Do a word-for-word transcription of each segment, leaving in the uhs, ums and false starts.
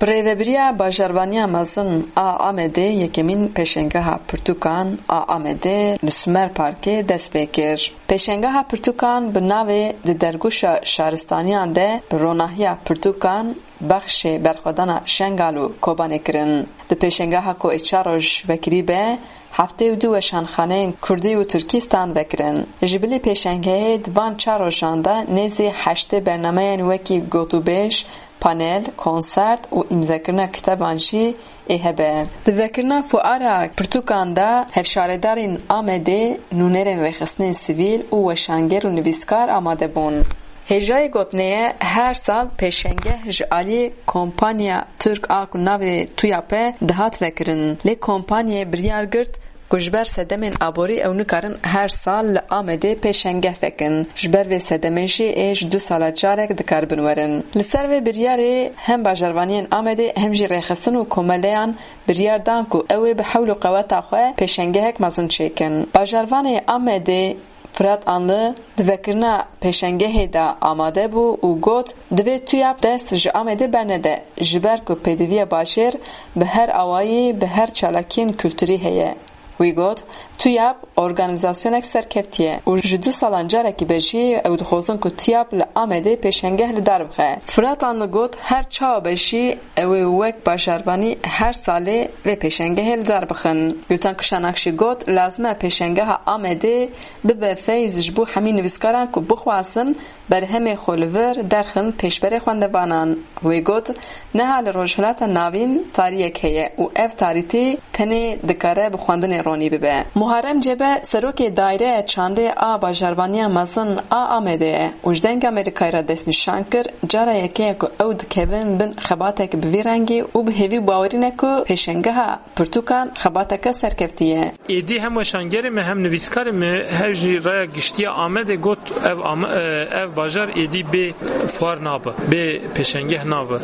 Bi rêvebiriya Bajarvaniya Mezin a Amedê yekemîn pêşengeha pirtûkan a Amedê li Sumer Parkê dest pê kir. Pêşengeha pirtûkan bi navê Di Dergûşa Şaristaniyan de bi ronahiya pirtûkan bexşê berxwedana Şengal û Kobanê kirin. Di pêşengeha ku ê çar roj vekirî be, heftê û du weşanxaneyên kurdî û tirkî stand vekirin. Ji bilî pêşengehê di van çar rojan de nêzî heştê bernameyên wekî gotûbêj, panel, konsert û îmzekirina kiteban jî ê hebe. Di vekirina fuara pirtûkan de hevşaredarên Amedê, nûnerên rêxistinên sivîl û weşanger û nivîskar amade bûn. Hêjayê gotinê ye, her sal pêşengeh ji aliyê kompanya Tirk a ku navê TÜYAP e dihat vekirin. Lê kompanyayê biryar girt ku ji ber sedemên aborî ew nikarin her sal li Amedê pêşengeh vekin. Ji ber vê sedemê jî ê ji du sala carek dikaribin werin. Li ser vê biryarê hem bajarvaniyên Amedê hem jî rêxistin û komeleyan biryar dan ku ew ê bi hewl û qeweta xwe pêşengehek mezin çêkin. Bajarvanê Amedê Firat Anlı di vekirina pêşengehê de amade bû û got, divê TÜYAP dest ji Amedê bernede, ji ber ku pêdiviya bajêr bi her awayî, bi her çalakiyên kulturî heye. Wî got, TÜYAP organîzasyonek serkeftî ye û ji du salan carekî be jî ew dixwazin ku TÜYAP li Amedê pêşengeh li dar bixe. Firat Anlı got, her çawa be jî ew ê wek bajarvanî her salê vê pêşengehê li dar bixin. Gultan Kişanak jî got, lazim e pêşengeha Amedê bibe feyz ji bo hemî nivîskaran ku bixwazin berhemê xwe li vir derxin pêşberê xwendevanan. Wê got, niha li Rojhilata Navîn tariyek heye û ev tarîtî tenê dikare bi xwendinê ronî bibe. Muharrem Cebe, serokê Daireya Çandê a Bajarvaniya Mezin a Amedê ye û ji Dengê Amerîkayê re destnîşan kir, cara yekê ye ku ew dikevin bin xebatek bi vî rengî û bi hêvî û bawerî ne ku pêşengeha pirtûkan xebateke serkeftî ye. Êdî hem weşangerê me hem nivîskarê me hev jî raya giştî ya Amedê got ev, Am- e, ev bajar êdî bê fuar nabe, bê pêşengeh nabe.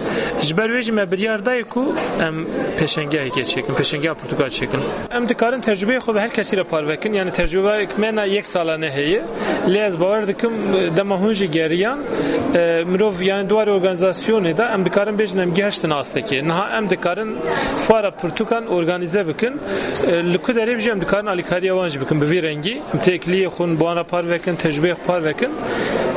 Ji ber wê jî me biryar dayê ku em pêşengehekê çêkin, pêşengeha pirtûka çêkin. Em dikarin tecrubeyê xwe bi her kesî re parve kin, yani tecrubeyek me na yek salane heye. Lê ez bawer dikim, dema hûn jî geriyan, e, mirov yani di warê organîzasyonê de em dikarin bêjin em gihiştin astekê. Niha em dikarin fuara pirtûkan organîze bikin. E, li ku derê jî em dikarin alîkariya wan jî bikin bi vî rengî. Em têkiliyê xwe bi wan re parve kin, tecrubeyê xwe parve kin.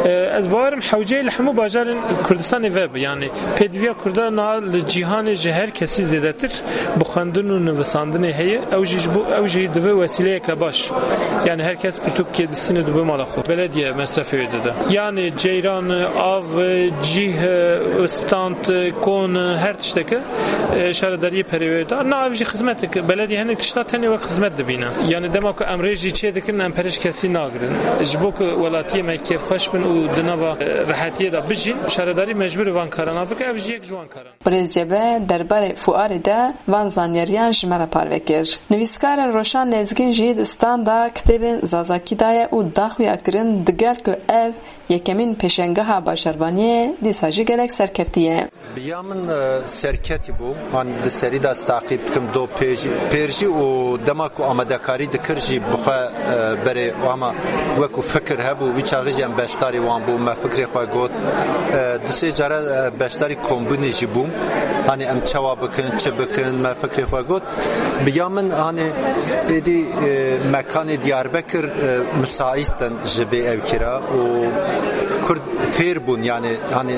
E, ez bawerim hewceyê li hemû bajarên Kurdistanê vebe. Yani pêdiviya Kurda niha li cîhanê ji her kesî zêdetir bi xwendin û nivisandinê heye. Ew jî ji bo, ew jî dibe wesîleyeke baş. Yani her kes pirtûkê distîne dibe mala xwe. Belediye mesrefê wê dide. Yani ceyran, av, cîh, stand, kon, her tişteke, e, şaredariyê perê wê da. Na ev jî xizmetek. Belediye hinek tişta tenê wek xizmet dibîne. Yani dema ku em rê jî çê dikin, em perê ji kesî nagirin. Ji bo ku welatiyê me kêfxweş bin û di nava, e, rehetiyê de bijîn, şaredarî mecbûr e van karana bike, ev jî yek ji wan karan. Birêz Cebe derbarê fuarê de van zanyariyan ji me re parve kir. Nivîskar Roşan Lezgîn jî di standa kitêbên Zazakî daye û daxuya kirin, digel ku ev yekemîn pêşengeha bajarvaniyê dîsa jî gelek serkeftî ye. Bi ya min, e, serketî bû. Hani di serî de ez taqîb dikim do pêjî, pêr jî û dema ku amadekarî dikir jî bi xwe, e, berê ama wekû fikir hebû, wî çaxê jî em beşdarî wan bû, me fikrê xwe got. E, du sê cara, e, beşdarî kombûnê jî bûm. Hani em çawa bikin, çi bikin, me fikrê xwe got. Bi ya min, hani êdî, e, mekanê Diyarbekir, e, müsait in ji vê ewkî re û Kurd fêr bûn, yani, hani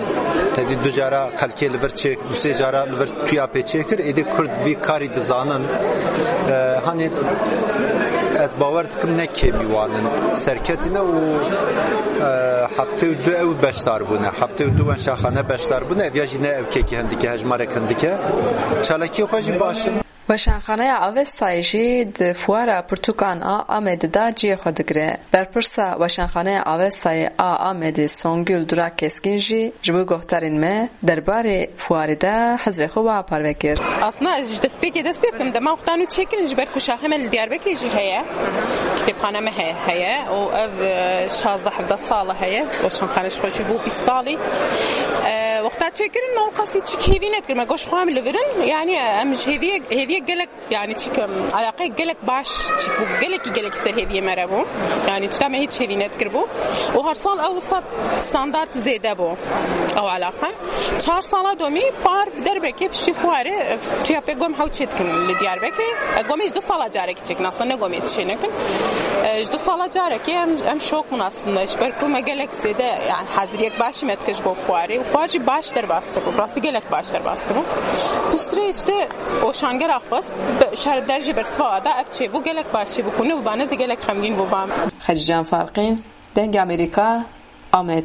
tedî du cara xelkê li vir çêk, du sê cara li vir TÜYAPê çêkir, êdî Kurd vî karî dizanin. E, hani ez bawer dikim ne kêmî wan in serketî ne û, e, heftê û du ew beşdar bûne, heftê û du wenşaxane beşdar bûne, ev ya jî ne ew kekî hindike, hejmarek hindike. Çalakiyê xwe jî baş in. Weşanxaneya Avestayê jî di fuara pirtûkan a Amedê de cihê xwe digire. Berpirsa Weşanxaneya Avestayê a Amedê Songül Durak Keskin jî ji bo guhdarên me derbarê fuarê de hizrê xwe wiha parve kir. Aslında ez ji destpêkê dest pê bikim, dema wexta nû çêkirin ji ber ku şaxê me li Diyarbekirê jî heye. Kitêbxane me he-, heye û ev, e, şazdeh hevdeh sal e heye. Weşanxane ji xwe jî bû bîst salî. E, wexta Çêkirin me qasî çik hêvî nedikir, me goş xwe em li vir in. Yanî em ji hêviyê, hêviyê gelek, yanî çik, em, eleqeyê gelek baş çik bû, gelekî gelekî ser hêviyê me re bû. Yanî çita me hiç hêvî nedikir bû. Û her sal ew wisa standart zêde bû ew eleqe. Çar sala domî par derbekê piştî fuarê, e, tuya pê gom hew çê dikin li Diyarbekirê. E, gomê ji du sala carekî çêkin, aslında ne gomê çê nekin. E, ji du sala carekê em, em şok bûn aslında. Ji ber ku me gelek zêde, yani heziriyek başî me dikir ji bo fuarê. Û fuar jî baş derbas dibû. Rastî gelek baş derbas dibû. Piştre işte o şangera xwest, be-, şer derjê bersiva da ev çê bû, gelek baş çê bû. Ku ne bû bane zî gelek xemgîn bû bam. Xecîcan Farqîn, Dengê Amerîka, Amed.